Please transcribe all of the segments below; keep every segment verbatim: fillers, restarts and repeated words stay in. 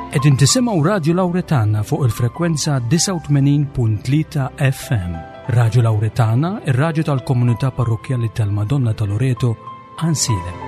Qegħdin tisimgħu Radio Lauretana fuq il-frekwenza disgħa u tmenin punt tlieta F M. Radio Lauretana, ir-radju tal-Komunità Parrokkjali tal-Madonna ta' Loreto, Għajnsielem.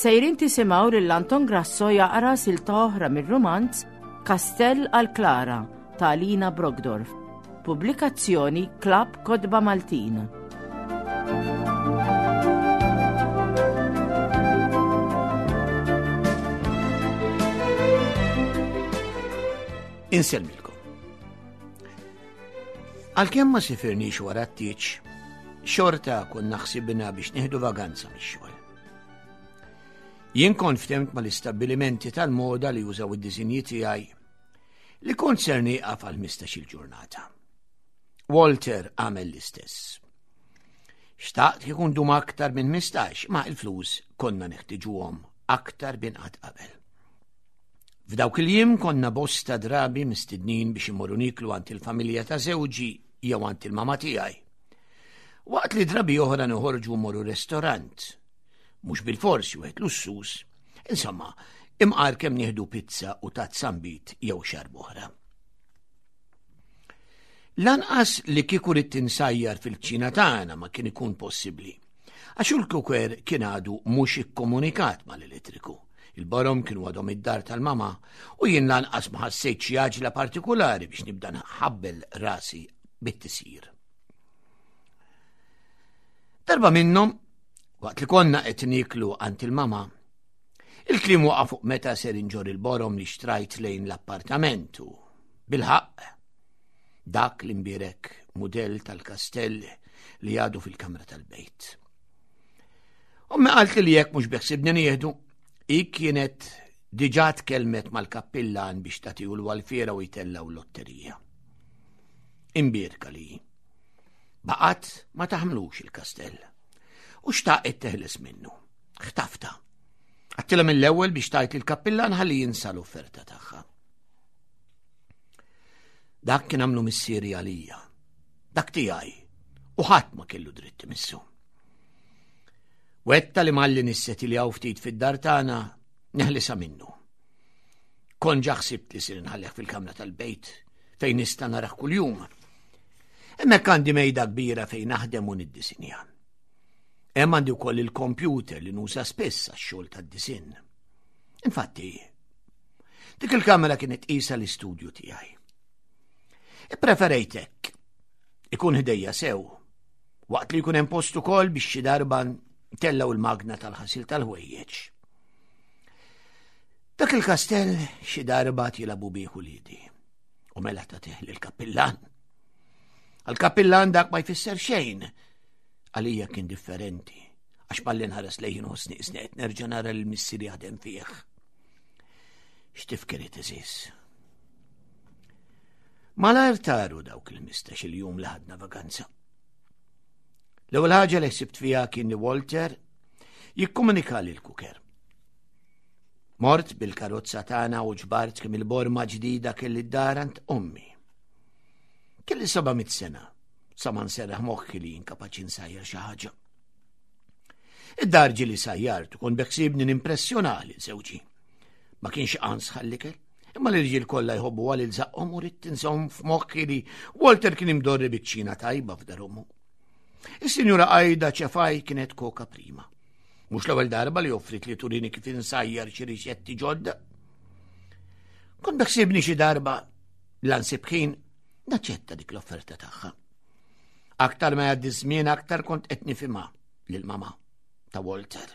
Sejrin tisimgħu lil Anton Grasso jaqra silta oħra mir-rumanz Kastell għal Klara ta' Alina Brockdorff. Pubblikazzjoni Klabb Kotba Maltin. Insellmilkom. Għalkemm ma sifirniex wara t-tieġ, xorta konna ħsibna biex nieħdu vaganza mix-xogħol. Jien kont ftemt mal-istabbilimenti tal-moda li jużaw id-disinji tiegħi li kont ser nieqaf għal ħmistax-il ġurnata. Walter għamel l-istess. Xtaqt kieku ndum aktar minn ħmistax, ma il-flus konna neħtiġuhom aktar minn qatt qabel. F'dawk il-jiem konna bosta drabi mistednin biex imorru niklu għand il-familja ta' żewġi jew għand il-mama tiegħi. Waqt li drabi oħra noħorġu morru restorant, mhux bil-forsi wieħed lussuż, insomma, imqar kemm nieħdu pizza u tazza nbid jew xarb oħra. Lanqas li kieku ridt insajjar fil-kċina tagħna ma kien ikun possibbli, għax il-kuker kien għadu mhux ikkomunikat mal-elettriku. Il-borom kienu għadhom id-dar tal-mama u jien lanqas ma ħassejt xi għaġla partikolari biex nibda nħabbel rasi bit-tisjir. Darba minnhom, waqt li konna qed niklu għand il-mama, il-kliem waqa' fuq meta ser inġor il-borom li xtrajt lejn l-appartament u bilħaqq dak l-imbierek mudell tal-kastell li għadu fil-kamra tal-bejt. Ommi qalt li jekk mhux beħsibni nieħdu, hi kienet diġà tkellmet mal-kappillan biex tagħtihu l-walfiera u jtellgħu lotterija. Imbierka li baqgħet ma taħmlux il-kastell u xtaqet teħles minnu. Ħtafta. Għedtilha mill-ewwel biex tgħid il-kappillan ħalli jinsa l-offerta tagħha. Dak kien għamlu missieri għalija. Dak tiegħi. U ħadd ma kellu dritt imissu. Wegħedtha li malli nissetiljaw ftit fid-dar tagħna neħlisa minnu. Kont ġa ħsibt li sir nħallih fil-kamra tal-bejt fejn nista' narah kuljum. Hemmhekk għandi mejda kbira fejn naħdem u niddisinja. Hemm għandi wkoll il-kompjuter li nuża spiss għax-xogħol tad-disinn. Infatti, dik il-kamera kienet qisha l-istudju tiegħi. Ippreferejt hekk. Ikun ħdejja sew, waqt li jkun hemm post ukoll biex xi darba ntellgħu il-magna tal-ħasil tal-ħwejjeġ. Dak il-kastell xi darba jilagħbu bih uliedi. U mela tagħtih lill-kappillan. Għal-kappillan dak ma jfisser xejn. Għalija kien differenti, għax malli nħares lejn inħossni qisni qed nerġa' nara lil missieri jaħdem fih. X'tifkiriet għeżież. Malajr taru dawk il-ħmistax-il jum li ħadna vaganza. L-ewwel ħaġa li ħsibt fiha kien li Walter jikkomunika lil kuker. Mort bil-karozza tagħna u ġbart kemm il-borma ġdida kelli d-dar għand ommi. Kelli seba' mitt sena, sa ma nserraħ moħħi li jien kapaċi nsajjar xi ħaġa. Id-dar ġieli sajjart u kont beħsiebni nimpressjona lil żewġi. Ma kienx qans għall-ikel, imma l-irġiel kollha jħobbu għal il-żaqqhom u ridt inżomm f'moħħi li Walter kien imdorri biċ-kċina tajba f'dar ommu. Is-sinjura Ajda Ċefaj kienet koka prima. Mhux l-ewwel darba li offrit li turini kif insajjar xi riċetti ġodda. Kont beħsiebni xi darba la nsib ħin naċċetta dik l-offerta tagħha. Aktar ma jgħaddi żmien aktar kont qed nifhimha lil-mama ta' Walter.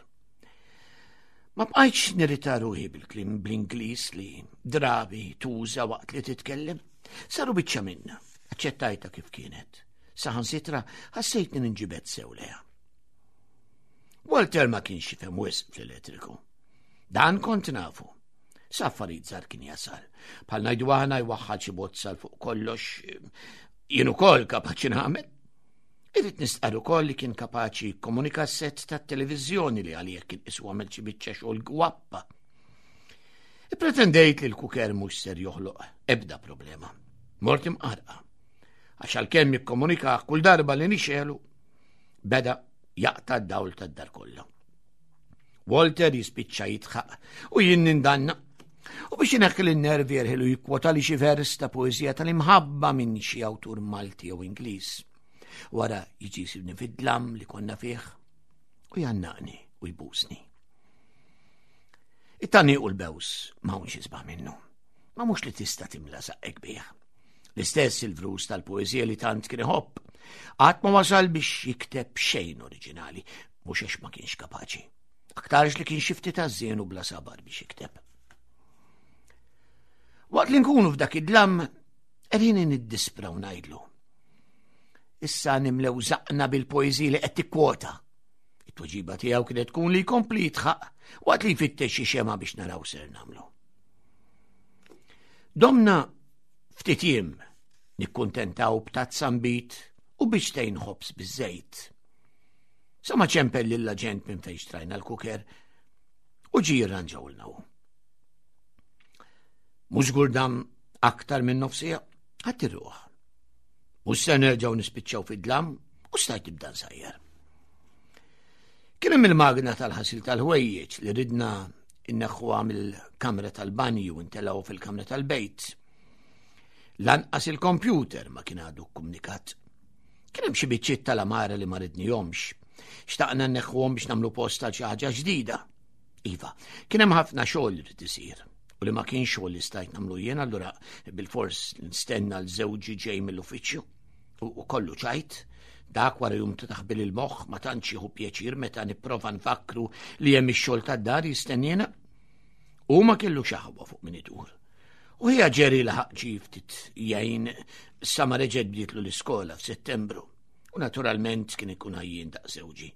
Ma bqajtx nirrita ruħi bil-kliem bl-Ingliż li drabi tuża waqt li titkellem. Saru biċċa minna, aċċettajtha kif kienet. Saħansitra ħassejtni ninġibed sew lejha. Walter ma kienx jifhem wisq fl-elettriku. Dan kont nafu. Sa affarijiet żgħar kien jasal. Bħal ngħidu aħna jwaħħal xi bozza fuq kollox, jien ukoll kapaċi nagħmel. Irrid nistqar ukoll li kien kapaċi jikkomunika set tat-televiżjoni li għalih kien qisu għamel xi biċċa xogħol gwappa. Ipretendejt li l-kuker mhux ser joħloq ebda problema. Mort imqarqa. Għax għalkemm jikkomunika kull darba li nixelu, beda jaqta' d-dawl tad-dar kollha. Walter jispiċċa jitħaq u jien nindanna. U biex ineħħi l-nervi jerħilu jikkwota li xi vers ta' poeżija tal-imħabba minn xi awtur Malti jew Ingliż. Wara jiġi jsibni fid-dlam li konna fih u jgħannaqni u jbusni. It-tani u l-bews ma hawnx isbaħ minnu. Ma mhux li tista' timla saqqek bih. L-istess il-vrus tal-poeżija li tant kien iħobb. Qatt ma wasal biex jikteb xejn oriġinali, mhux għax ma kienx kapaċi. Aktarx li kien xi ftit għażżien u bla sabar biex jikteb. Waqt li nkunu f'dak id-dlam, qegħdin niddispra u ngħidlu. Issa nimlew żaqqna bil-poeżiji li qed tikkwota. It-tweġiba tiegħu kienet tkun li jkompli jitħaq waqt li jfittex xi xema biex naraw ser nagħmlu. Domna ftit jiem nikkuntentaw b'tazza nbid u biċċtejn ħobż biż-żejt. Sa ma ċempel lill-aġent minn fejn xtrajna l-kuker u ġie jirranġawlna hu. Mhux żgur dam aktar minn nofsija, ħadd irruħ. Mhux se nerġgħu nispiċċaw fid-dlam u stajt nibda nsajjar. Kien hemm il-magna tal-ħasil tal-ħwejjeġ li ridna inneħħuha mill-kamra tal-banju u ntelgħu fil-kamra tal-bejt. Lanqas il-kompjuter ma kien għadu kkomunikat. Kien hemm xi biċċiet tal-amara li ma ridnihomx. Xtaqna nneħħuhom biex nagħmlu post għal xi ħaġa ġdida. Iva, kien hemm ħafna xogħol li rid isir u li ma kien xogħol li stajt nagħmlu jien, allura bilfors nistenna l żewġi ġej mill-uffiċċju u kollu ċajt. Dak wara jum ta' taħbil il-moħħ ma tantx jieħu pjaċir meta nipprova nfakru li hemm ix-xogħol tad-dar jistennina. U ma kellu xaħwa fuq min idur. U hija ġeri laħaq ġi ftit jgħin sa ma reġgħet bdietlu l-iskola f'Settembru. U naturalment kien ikun ħajjin daq żewġi.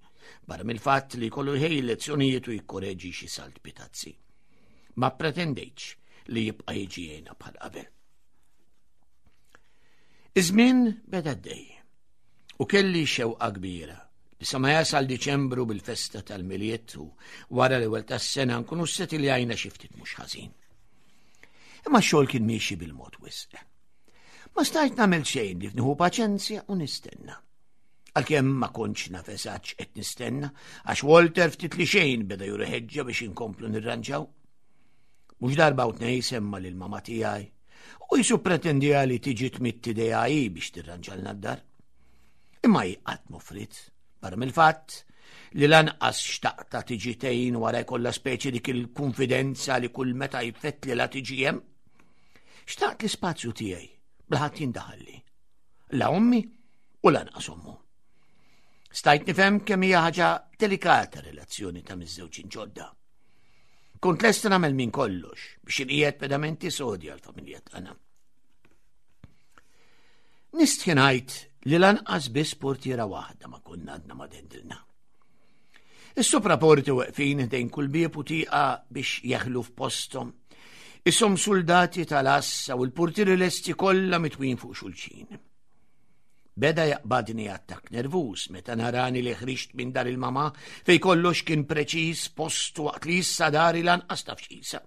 Barra mill-fatt li kollu jħej lezzjonijiet u jikkoreġi xi salt pitazzi. Ma pretendejtx li jibqa' jiġi jgħinha bħal qabel. Iż-żmien beda għaddej u kelli xewqa kbira li sa ma jasal Diċembru bil-festa tal-Milied u wara l-ewwel tas-sena nkunu setiljajna xi ftit mhux ħażin. Imma x-xogħol kien miexi bil-mod wisq. Ma stajt nagħmel xejn li nieħu paċenzja u nistenna. Għalkemm ma kontx naf eżatt qed nistenna, għax Walter ftit li xejn beda juri ħeġġa biex inkomplu nirranġaw. Mhux darba u tnejn semma lil mama tiegħi u jisu pretendija li tiġi tmidd idejha hi biex tirranġalna d-dar. Imma hi qatt m'offrit, barra mill-fatt li lanqas xtaqta tiġi tgħin wara jkollha speċi dik il-konfidenza li kull meta jfettli la tiġi hemm. Xtaqt l-ispazju tiegħi bla ħadd jindaħalli. La ommi u lanqas ommu. Stajt nifhem kemm hija ħaġa delikata relazzjoni ta' miżżewġin ġodda. Kont lesta nagħmel minn kollox biex inqiegħed pedamenti sodi għall-familja tagħna. Nistħi ngħid li lanqas biss portiera waħda ma konna għadna ma dendilna. Is-sopraporti weqfin ħdejn kull bieb u tieqa biex jeħlu f'posthom. Isom soldati tal-assa u l-portieri lesti kollha mitwin fuq xulxin. Beda jaqbadni attakk nervuż meta narani li ħriġt minn dar il-mama fej kollox kien preċiż postu waqt li issa dari lanqas taf x'qisha.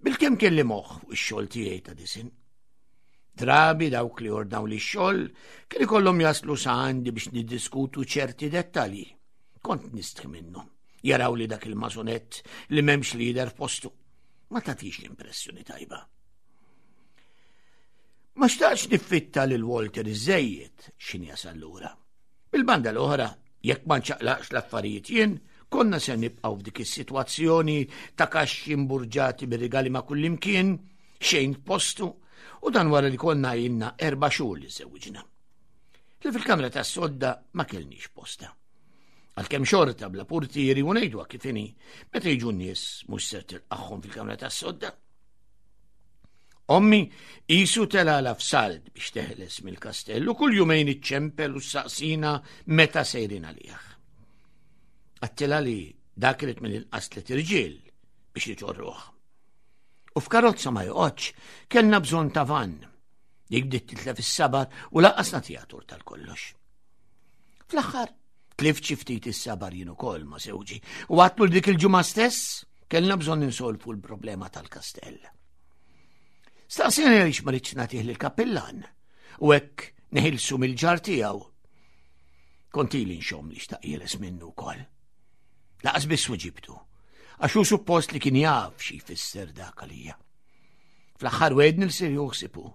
Bilkemm kelli moħħ fuq ix-xogħol tiegħi ta' disin. Drabi dawk li ordnaw li x-xogħol kien ikollhom jaslu sa għandi biex niddiskutu ċerti dettalji. Kont nistħi minnhom. Jaraw li dak il-mażonett li m'hemmx lider f'postu. Ma tagħtix l-impressjoni tajba. Ma xtaqx niffitta lil Walter iżejjed x'in jasal lura. Bil-banda l-oħra, jekk ma nċaqlaqx l-affarijiet jien, konna se nibqgħu f'dik is-sitwazzjoni ta' kaxxi mburġati bir-rigali ma' kullimkien, xejn f'postu, u dan wara li konna ilna erba' xhur li żewġna. Li fil-kamra tas-sodda ma kellniex posta. Għalkemm xorta bla portieri u ngħidu kif inhi, meta jiġu n-nies mhux ser tilqagħhom fil-kamra tas-sodda. Ommi qisu telala f'salt biex teħles mill-kastell u kull jumejn iċċempel u saqsina meta sejrin għalih. Għattila li dak irid mill-inqas tliet irġiel biex iġorruh. U f'karozza ma joqgħodx, kellna bżonn ta' van. Dik bdiet titlef is-sabar u lanqas nagħtiha tur tal-kollox. Fl-aħħar, tlift xi ftit is-sabar jien ukoll ma' żewġi u għatlu dik il-ġimgħa stess kellna bżonn insolfu l-problema tal-kastell. Staqsini għaliex ma rridx nagħtih lill-kappillan u hekk neħilsu mill-ġar tiegħu. Kont ili nxomm li xtaq jeles minnu wkoll. Laqas biss weġibtu, għax hu suppost li kien jaf xi jfisser dak għalija. Fl-aħħar wegħedni li ser joħsibu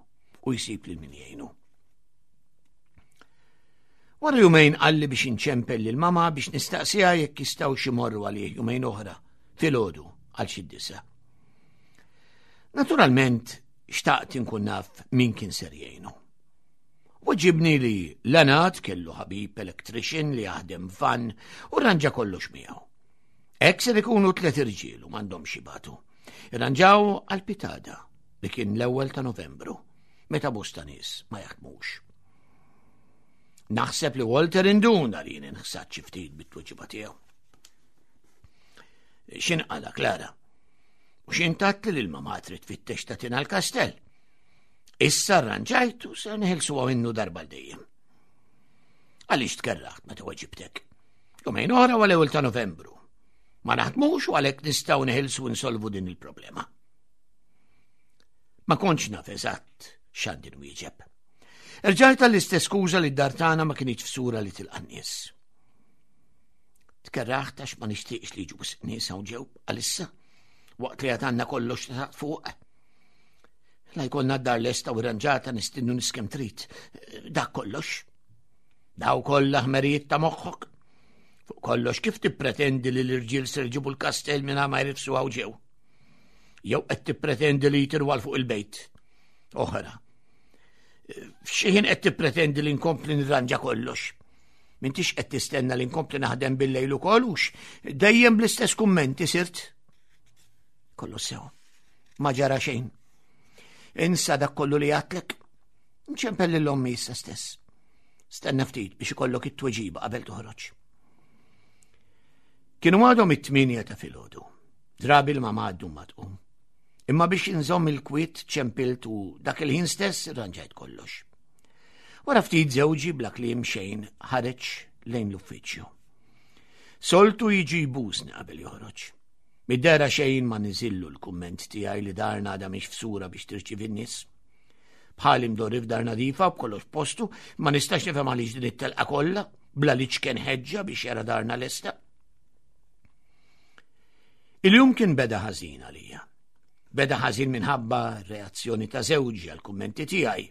u jsib lil min jgħinu. Wara jumejn qalli biex inċempel lil mama biex nistaqsiha jekk jistgħux imorru għalih jumejn oħra filgħodu għal xi disa. Naturalment xtaqt inkun naf min kien ser jgħinu. Weġibni li Leonard kellu ħabib electrician li jaħdem van u rranġa kollox miegħu. Hekk ser ikunu tliet irġiel u m'għandhomx jibatu. Irranġaw għal pitgħada li kien l-ewwel ta' Novembru, meta bosta nies ma jaħdmux. Naħseb li Walter induna li jien inħsad xi ftit bit-tweġiba tiegħu. X'inqala Klara? U x'intat li l-mama trid tfittex tagħtina l-kastell? Issa rranġajtu se neħilsuha minnu darba l dejjem. Għaliex tkerraħt meta weġibtek? Jumejn oħra għal ewwel ta' Novembru. Ma naħdmux u għalhekk nistgħu neħilsu nsolvu din il-problema. Ma kontx naf eżatt x'għandi nwieġeb. Erġajt għall-istess skuża li d-dar tagħna ma kinitx f'sura li tilqa' nies. Tkerraħt għax ma nixtieqx li jiġu nies hawn ġew għalissa waqt li għatanna kollox ta' fuq. La jkollna d-dar lesta u rranġata nistinnu nies kemm trid. Dak kollox. Daw kollha ħmerijiet ta' moħħok. Fuq kollox kif tippretendi li l-irġiel ser jġibu l-kastell minn ma jrifsu hawn ġew? Jew qed tippretendi li jtirwa fuq il-bejt. Oħra. F'xi ħin qed tippretendi li nkompli nirranġa kollox. M'intix qed tistenna li nkompli naħdem bil-lejl ukoll hux dejjem bl-istess kummenti sirt. Kollu sew. Ma ġara xejn. Insa dak kollu li għatlek. Nċempel lil ommi issa stess. Stenna ftit biex ikollok it-tweġiba qabel toħroġ. Kienu għadhom it-tmienja ta' filgħodu. Drabi l-mama għaddu ma tqum. Imma biex inżomm il-kwiet ċempilt u dak il-ħin stess irranġajt kollox. Wara ftit żewġi bla kliem xejn ħareġ lejn l-uffiċċju. Soltu jiġi jbusni qabel joħroġ. Mid-dera xejn ma niżillu l-kumment tiegħi li darna għadha mhix f'sura biex tirċievi n-nies. Bħali mdorri f'dar nadifa b'kollox postu, ma nistax nifhem għaliex din it-telqa kollha bla li ċken ħeġġa biex jara darna lesta. Il-jum kien beda ħażin għalija. Beda ħażin minħabba reazzjoni ta' żewġi għal kummenti tiegħi.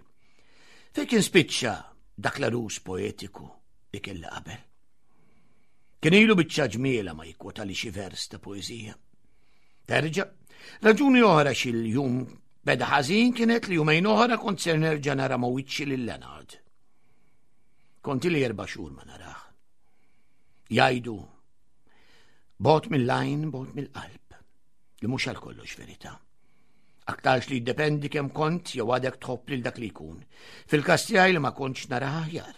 Fejn kien spiċċa dak l-arus poetiku li kelli qabel. Kien ilu biċċa ġmiela ma jikkwota li xi vers ta' poeżija. Terġa', raġuni oħra xil-jum beda ħażin kienet li jumejn oħra kont ser nerġa' nara ma' wiċċi lil Leonard. Kont ili erba' xhur ma narah. Jgħidu bogħod mill-għajn, bogħod mill-qalb, li mhux għal kollox verità. Aktarx li jiddependi kemm kont jew għadek tħobb lil dak li jkun. Fil-każ tiegħi li ma kontx naraha aħjar.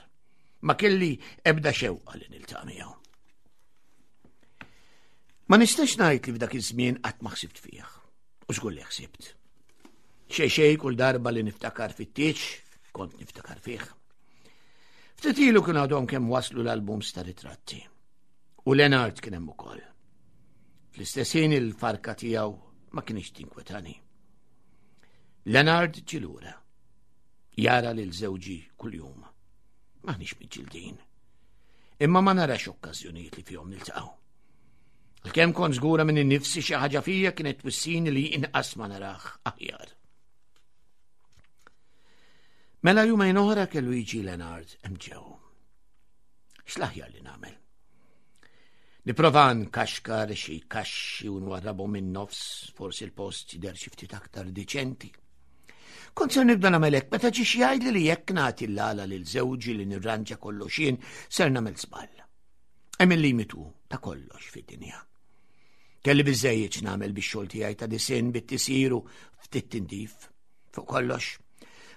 Ma kelli ebda xewqa li niltaqa' miegħu. Ma nistax ngħid li f'dak iż-żmien qatt ma ħsibt fih. U żgur li ħsibt. Xej xej kull darba li niftakar fit-tieġ, kont niftakar fih. Ftit ilu kien għadhom kemm waslu l-albums ta' ritratti. U Leonard kien hemm ukoll. Fl-istess ħin il-farka tiegħu ma kienx tinkwetani. Leonard ġie lura. Jara lil żewġi kuljum. M'aħniex miġġildin. Imma ma narax okkażjonijiet li fihom niltaqgħu. Għalkemm kont żgura minn innifsi xi ħaġa fija kienet twissini li inqas ma narah aħjar. Mela jumejn oħra kellu jiġi Leonard hemm ġew. X'l-aħjar li nagħmel? Nipprova nkaxkar xi kaxxi u nwarrabhom minn nofs, forsi l-post jidher xi ftit aktar diċenti. Kont ser nibda nagħmel hekk meta ġie xi jgħidli li jekk nagħti l-għala lil żewġi li nirranġa kollox jien ser nagħmel żball. Hemm il-limitu ta' kollox fid-dinja. Kelli biżejjed nagħmel bix-xogħol tiegħi ta' disinn bit-tisiru ftit tindif fuq kollox.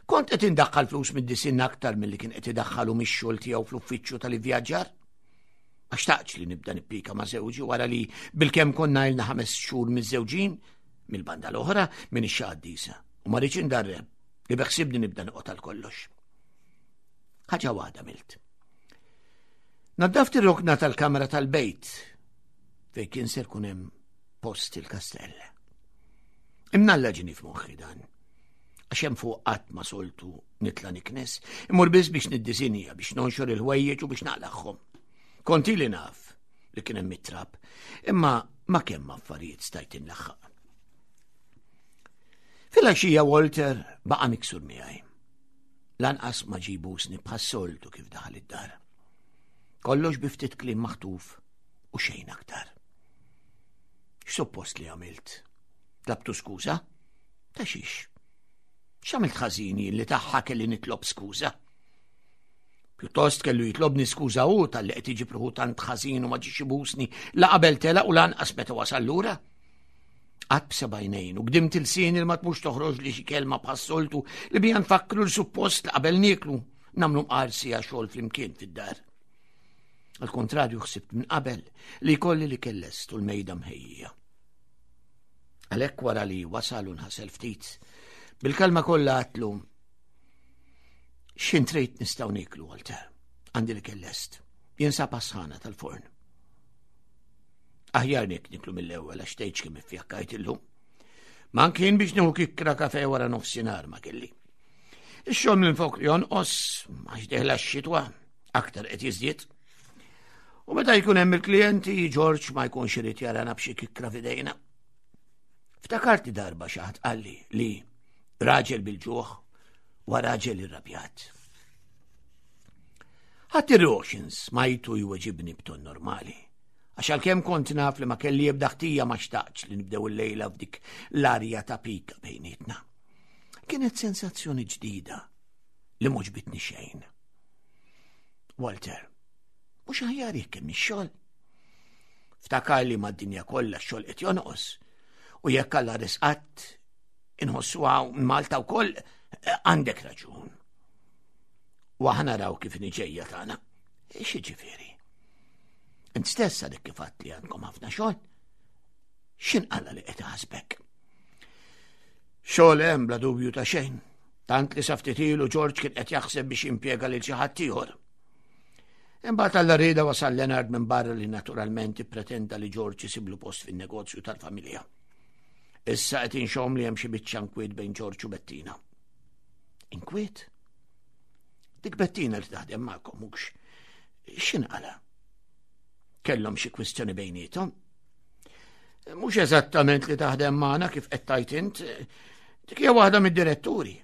Kont qed indaħħal flus mid-disinn aktar milli kien qed idaħħalu mix-xogħol tiegħu fl-uffiċċju tal-ivvjaġġar. Ma xtaqtx li nibda nippika ma' żewġi wara li bilkemm konna ilna ħames xhur miż-żewġin mill-banda l-oħra minn ix-xaddisa u ma rridx indarreb li beħsibni nibda noqgħod għal kollox. Ħaġa waħda milt. Naddaft ir-rokna tal-kamra tal-bejt fejn kien ser kun hemm post il-kastell. Imnalla ġini f'moħħi dan. Għax hemm fuq qatt ma soltu nitla' niknes, immur biss biex niddisinja, biex nonxor il-ħwejjeġ u biex naqlaħħom. Konti li naf li kien hemm it-trab, imma ma kemm affarijiet stajt inlaħħaq. Filgħaxija Walter baqa' miksur miegħi. Lanqas ma ġibusni bħas-soltu kif daħal id-dar. Kollox bi ftit kliem maħtuf u xejn aktar. X'suppost li għamilt? Tlabtu skuża? Ta' xiex? X'għamilt ħażin jien li tagħha kelli nitlob skuża? Pjuttost kellu jitlobni skuża hu talli qed iġib ruħu tant ħażin u ma ġiex ibusni la qabel telaq u lanqas meta wasal lura. Qatt b'sebgħinejn u gdimt ilsien il ma tmux toħroġ li xi kelma bħas-soltu li bija nfakru l-suppost li qabel nieklu nagħmlu mqar siegħa xogħol flimkien fid-dar. Al kontrarju ħsibt minn qabel li jkolli li kellest u l-mejda mħejjija. Għalhekk wara li wasal u nħasel ftit, bil-kalma kollha għatlu x'int trid nistgħu nieklu, Walter, għandi li kellest, jinsab sħana tal-forn. Aħjar nek niklu mill-ewwel għax tgħidx kemm iffjakkajt illum. Man kien biex nieħu kikkra kafe wara nofsinhar ma kelli. Ix-xogħol minn fuq jonqos għax deħla x-xitwa aktar qed jiżdied. U meta jkun hemm il-klijenti, George ma jkunx irid jarana b'xi kikkra f'idejna. Ftakart li darba xi ħadd qalli li raġel bil-ġuħ wa raġel irrabjat. Ħadd ir-roxins smajtu jweġibni b'ton normali. Għax għalkemm kont naf li ma kelli ebda ħtija ma xtaqtx li nibdew il-lejla f'dik l-arja ta' pika bejnietna. Kienet sensazzjoni ġdida li m'għoġbitni xejn. Walter, mhux aħjar jekk hemm ix-xogħol. Ftakar li mad-dinja kollha x-xogħol qed jonqos u jekk Alla risqat inħossuha Malta wkoll għandek raġun. U aħna naraw kif niġejja tagħna. X'jiġifieri? Int stess għadek kif għedt li għandkom ħafna xogħol. X'inqala li qed iħasbek? Xogħol hemm bla dubju ta' xejn. Tant li sa ftit ilu George kien qed jaħseb biex jimpjega lil xi ħadd ieħor. Imbagħad alla rieda wasal Leonard minn barra li naturalment ippretenda li George isiblu post fin-negozju tal-familja. Issa qed inxomm li hemm xi biċċa inkwiet bejn George u Bettina. Inkwiet? Dik Bettina li taħdem magħkom mhux x'inqala? Kellhom xi kwistjoni bejniethom? Mhux eżattament li taħdem magħna kif qed tgħid int, dik hija waħda mid-diretturi.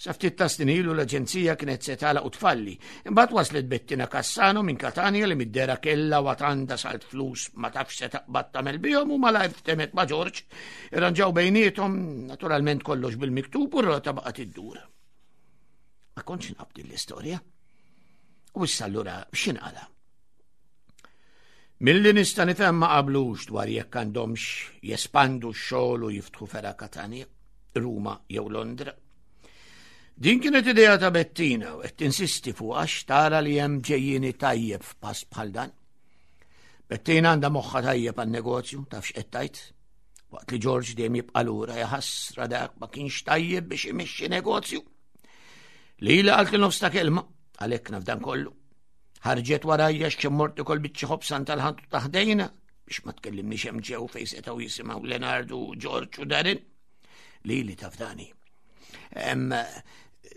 Sa ftit ta' snin ilu l-aġenzija kienet se tagħlaq u tfalli. Imbagħad waslet Bettina Cassano minn Katania li mid-dera kellha u għandha salt flus ma tafx se taqbad tagħmel bihom u malajr ftemet ma' George. Irranġaw bejniethom, naturalment kollox bil-miktub u r-rota baqgħet iddur. Ma kontx naf din l-istorja. U issa allura x'inqala? Milli nista' nifhem ma qablux dwar jekk għandhomx jespandu x-xogħol u jiftħu fergħa Katania, Ruma jew Londra. Din kienet idea ta' Bettina u qed tinsisti fuq għax tara li hemm ġejjieni tajjeb f'pass bħal dan. Bettina għandha moħħa tajjeb għan-negozju, taf x'qed tgħid. Waqt li George dejjem jibqa' lura jaħasra dak ma kienx tajjeb biex imexxi negozju. Lili qalt li nofs ta' kelma, għalhekk naf dan kollu. Ħarġet warajja x'ċemmort ukoll biċċa ħobsan tal-ħantu ta' ħdejna biex ma tkellimniex hemm ġew fejn setgħu jisimgħu Leonardo, George u Darren. Lili taf dani.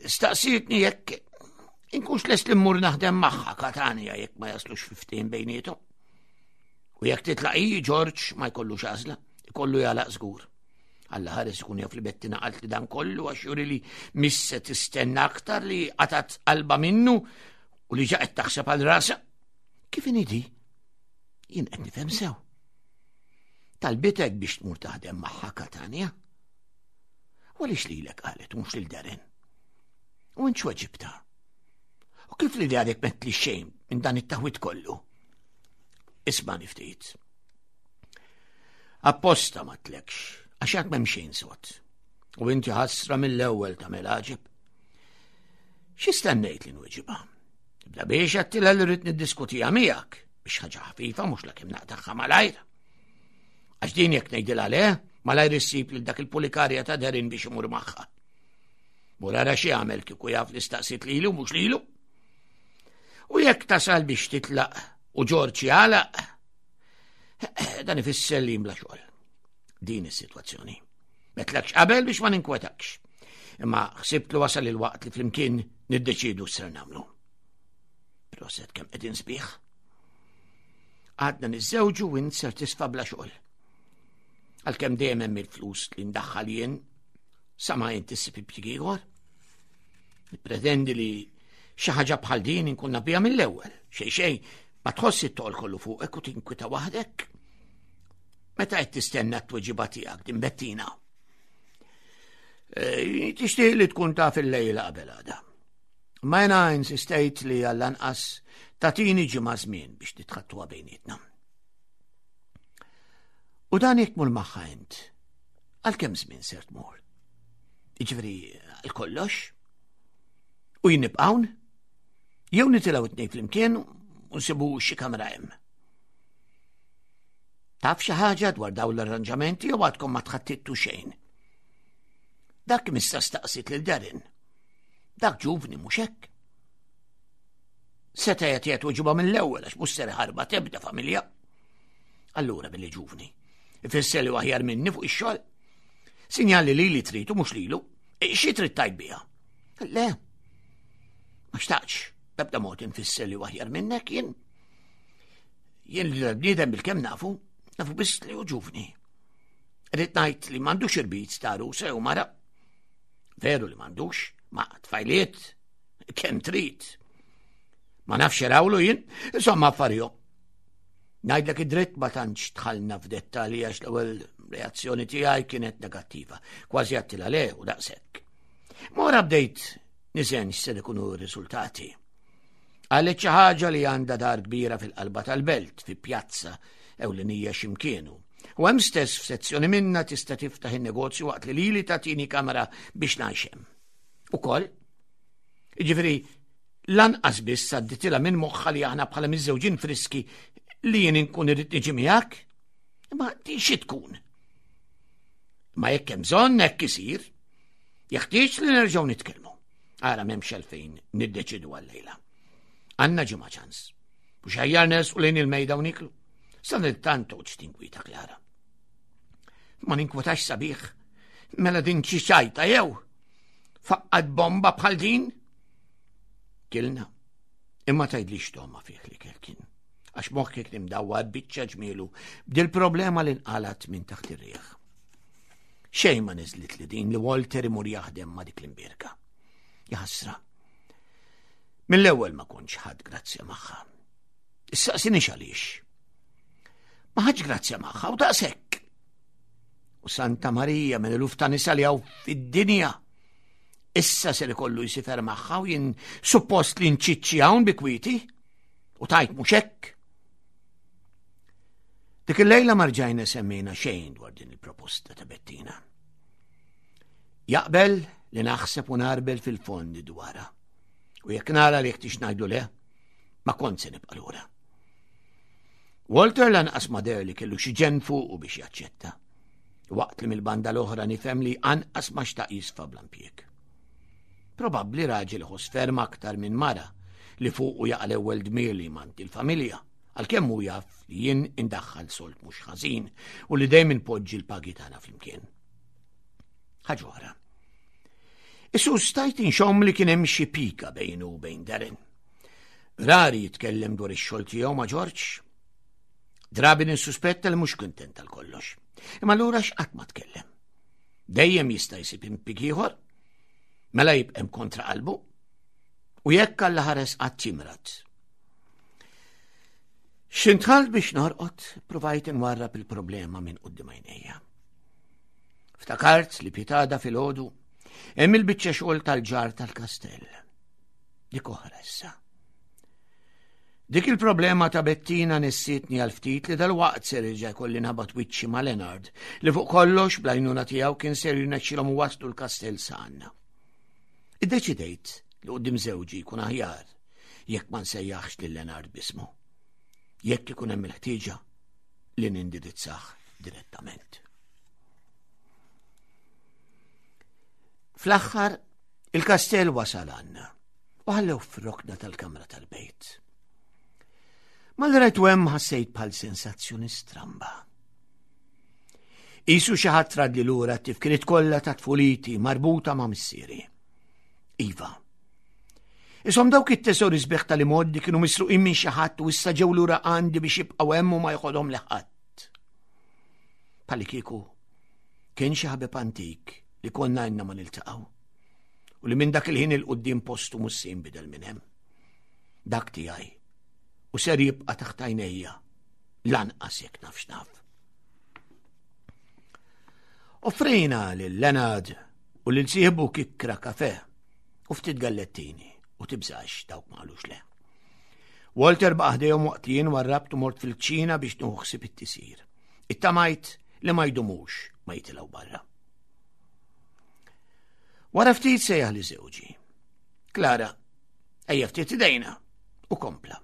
Staqsietni jekk inkunx lest li mmur naħdem magħha Katania jekk ma jaslux fifteen bejniethom. U jekk titlaq hi George ma jkollux għażla, ikollu jagħlaq żgur. Alla ħares ikun jaf li Bettina qalt li dan kollu għax juri li misse tistenna aktar li qatat qalba minnu u li ġa qed taħseb għal rasa. Kif inhi di? Jien qed nifhem sew. Talbitek biex tmur taħdem magħha Katania. U għaliex lilek qalet u mhux lil Darren? U int x'weġibta? U kif li għadek metli xejn minn dan it-taħwit kollu? Isma' ftit. Apposta ma tlekx, għax għad m'hemm xejn sod. U inti ħasra mill-ewwel tagħmel għaġeb. Xi stennejt li nweġibha? Bla biex għedtilha li rrid niddiskutiha miegħek biex ħaġa ħafifa mhux lakemm naqtagħha malajr. Għax din jekk ngħidilha le, malajr issib lil dak il-pulikarja ta' Darren biex imur magħha. Mur ara xi jagħmel kieku jaf li staqsit lilu mhux lilu. U jekk tasal biex titlaq u Ġorġ jagħlaq, dan ifisser li bla xogħol. Din is-sitwazzjoni. Metlekx qabel biex ma ninkwetakx. Imma ħsibt li wasal il-waqt li flimkien niddeċidu x'ser nagħmlu. Proset kemm qegħdin sbieħ. Għadna niżżewġu u int ser tisfa bla xogħol. Għalkemm dejjem hemm il-flus li ndaħħal jien sa ma int issib impjieg ieħor. Nippretendi li xi ħaġa bħal din inkun naf biha mill-ewwel. Xejn xejn ma tħoss it-toqol kollu fuqek u tinkwita waħdek. Meta qed tistenna t-tweġiba tiegħek din Bettina? E, tixtieq li tkun taf il-lejla qabel għada. Ma jena insistejt li għall-anqas tagħtini ġimgħa żmien biex nitħaddtuha bejnietna. U dan jekk tmur magħha int, għal kemm żmien ser tmur? Jiġifieri għal kollox? U jien nibqa' hawn? Jew nitilgħu it-tnejn flimkien u nsibu xi kamra hemm. Taf xi ħaġa dwar dawn l-arranġamenti jew għadkom ma tħaddittu xejn? Dak missa staqsit lil Darren. Dak ġuvni mhux hekk. Seta' jagħtiha tweġiba mill-ewwel għax mhux ser ħarba tebda familja. Allura billi ġuvni. Ifisser li aħjar minni fuq ix-xogħol. Sinjal li lili trid u mhux lilu. E, xi trid tgħid biha? Le. Ma xtaqx, b'ebda mod infisser li aħjar minnek jien. Jien li l-bniedem bil-kemm nafu, nafu biss li hu ġuvni. Rrid ngħid li m'għandux irbit ta' għarusa jew mara. Veru li m'għandux, ma tfajliet, kemm trid. Ma nafx rawlu jien, insomma affarijom. Ngħidlek id-dritt ma tantx dħalna f'dettalji għax l-ewwel reazzjoni tiegħi kienet negattiva, kważi għedtilha le u daqshekk. Mora bdejt niżen x'ser ikunu r-riżultati. Qalet xi ħaġa li għandha dar kbira fil-qalba tal-belt, fi pjazza ewlenija x'imkienu. U hemm stess f'sezzjoni minna tista' tiftaħ in-negozju waqt li lili tagħtini kamra biex ngħix hemm. Ukoll, jiġifieri lanqas biss għadditilha minn moħħha li aħna bħala miżżewġin friski li jien inkun irrid niġi miegħek. Imma din xi tkun? Ma jekk hemm bżonn hekk isir, jeħtieġ li nerġgħu nitkellmu. Ara m'hemmx għalfejn niddeċidu għal-lejla. Għandna ġimgħa ċans. U xajjar nersqu lejn il-mejda u niklu. Sadanittant toqgħodx tinkwita Klara. Ma ninkwitax sabiħ. Mela din xi ċajta jew? Faqqat bomba bħal din? Kilna. Imma tgħidlix togħma fih li kien. Għax moħħi kien imdawwar biċċa ġmielu b'dil problema li nqalat minn taħt ir-riħ. Xejn ma niżlit li din li Walter imur jaħdem ma' dik l-imbierka. Jaħasra. Mill-ewwel ma kontx ħadt grazzja magħha. Issaqsinix għaliex. Ma ħadx grazzja magħha u daqshekk. U Santa Marija minn eluf ta' nisa li hawn fid-dinja. Issa ser ikollu jsifer magħha u jien suppost li nċiċċi hawn bi kwieti. U tajt mhux hekk. Dik il-lejla ma rġajna semmejna xejn dwar din il-proposta ta' Bettina. Jaqbel li naħseb u narbel fil-fondi dwarha. U jekk nara li jeħtieġ ngħidlu le, ma kont se nibqa' lura. Walter lanqas ma deher li kellu xi ġenn fuqu biex jaċċetta. Waqt li mill-banda l-oħra nifhem li anqas ma xtaq jisfa bla impjieg. Probabbli raġel iħoss ferm aktar minn mara li fuqu jaqa' l-ewwel dmir li jmanti l-familja, għalkemm hu jaf li jien indaħħal sold mhux ħażin u li dejjem inpoġġi l-pagi tagħna flimkien. Ħaġa oħra. Isu stajt inxomm li kien hemm xi pika bejnu u bejn Darren. Rari jitkellem dwar ix-xogħol tiegħu ma' George. Drabi ninsuspetta li mhux kuntent tal kollox. Imma allura x'qatt ma tkellem. Dejjem jista' jsib impjieg ieħor, mela jibqem kontra qalbu. U jekk Alla ħares qatt jimrad. X'intħalt biex norqod, provajt inwarrab il-problema minn quddiem għajnejja. Ftakart li pitgħada filgħodu hemm il-biċċa xogħol tal-ġar tal-kastell. Dik oħra issa. Dik il-problema ta' Bettina nissitni għal ftit li dal-waqt ser irġa' jkolli nabat wiċċi ma' Leonard li fuq kollox bl-għajnuna tiegħu kien ser jirnexxilhom waslu l-kastell sa għandna. Iddeċidejt li quddiem żewġi jkun aħjar jekk ma nsejjaħx lil Leonard b'ismu. Jekk ikun hemm il-ħtieġa li nindirizzah direttament. Fl-aħħar, il-kastell wasal għandna U ħallew f'rokna tal-kamra tal-bejt. Malli rajtu hemm ħassejt bħal sensazzjoni stramba. Isu xi ħadd radli lura t-tifkiriet kollha ta' tfuliti marbuta ma' missieri. Iva. Isom dawk it-tesori sbieħ tal-imgħoddi kienu misruqin minn xi ħadd u issa ġew lura għandi biex jibqgħu hemm u ma joħodhom li ħadd. Bħalli kieku kien xi ħabib antik li konna għandna ma niltaqgħu u li minn dak il-ħin il-quddiem postu mhux se jinbidel minn hemm. Dak tiegħi u ser jibqa' taħt għajnejja lanqas jekk naf x'naf. Offrejna lil Leonard u lil sieħbu kikkra kafe u ftit gallettini u tibżax dawk ma qalux le. Walter baqa' ħdejhom waqt li jien warrabt u mort fil-kċina biex nieħu ħsieb it-tisir. Ittamajt li ma jdumux ma jitilgħu barra. Wara ftit sejjaħ li żewġi. Klara, ejja ftit idejna u kompla.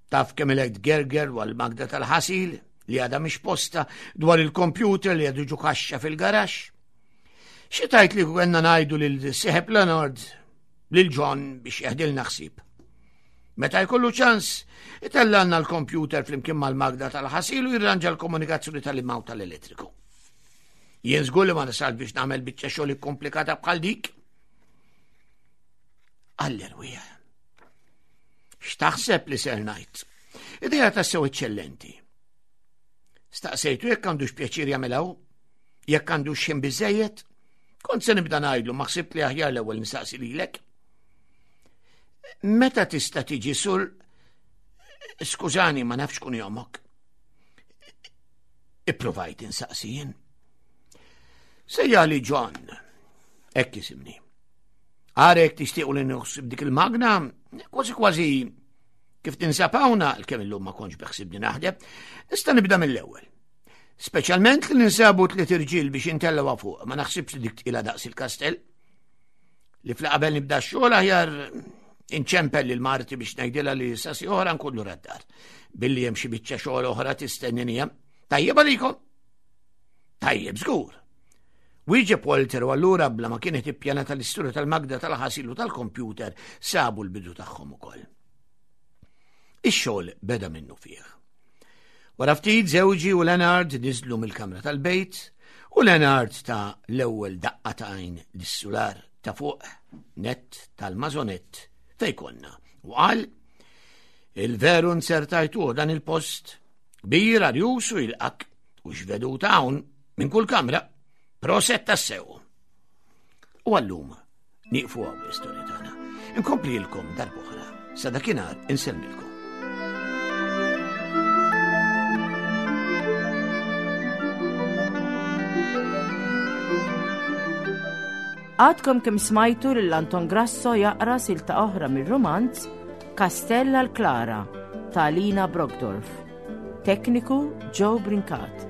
Taf kemm ilek tgerger dwar il-magna tal-ħasil li għadha mhix posta dwar il-kompjuter li għadu ġo kaxxa fil-garaxx. Xi tajt li kellna ngħidu lil sieħeb Leonard lil John biex jeħdilna ħsieb. Meta jkollu ċans, itellgħalna l-kompjuter flimkien mal-magna tal-ħasil u jirranġa l-komunikazzjoni tal-ilma u tal-elettriku. Jien żgur li ma nasal biex nagħmel biċċa xogħol komplikata bħal dik. Għall-erwieħ. X'taħseb li ser ngħid? Idea tassew eċċellenti. Staqsejtu jekk għandux pjaċir jagħmilha, jekk għandux xejn biżejjed, kont se nibda ngħidlu ma ħsibt li aħjar l-ewwel nistaqsi lilek. Meta tista' tiġi sur Skużani, ma nafx kun jomok. Ipprovajt insaqsi jien. Sejjaħli John, hekk jisimni. Għarek tixtiequ li nħossib dik il-magna, kważi kważi kif tinsab hawnna, l-kemm illum ma kontx beħsibni naħdem, nista' nibda mill-ewwel. Speċjalment li ninsabu tliet irġiel biex intellgħu fuq, ma naħsibx li dik tqila daqs il-kastell. Li fl-qabel nibda x-xogħol aħjar inċempel lil marti biex ngħidilha li sasi oħra nkullu raddar. Billi hemm xi biċċa xogħol oħra tistennini hemm. Tajjeb għalikom? Tajjeb żgur. Wieġeb Walter u allura bla ma kienet ippjanata l-istorja tal-magna tal-ħasil u tal-kompjuter sabu l-bidu tagħhom ukoll. Ix-xogħol beda minnu fih. Wara ftit żewġi u Leonard niżlu mill-kamra tal-bejt u Leonard ta l-ewwel daqqa ta' għajn lis-sular ta' fuq net tal-maisonette fej konna u qal il-veru nsertajtuh dan il-post kbir arjus u jilqak u x'veduta hawn minn kull kamra. Proset tassew. U għallum nieqfu hawn l-istorja tagħna. Inkomplilkom darb'oħra. Sa dakinhar insellmilkom. Għadkom kemm smajtu lil Anton Grasso jaqra silta oħra mir-rumanz Kastell għal Klara ta' Lina Brockdorff. Tekniku Joe Brincat.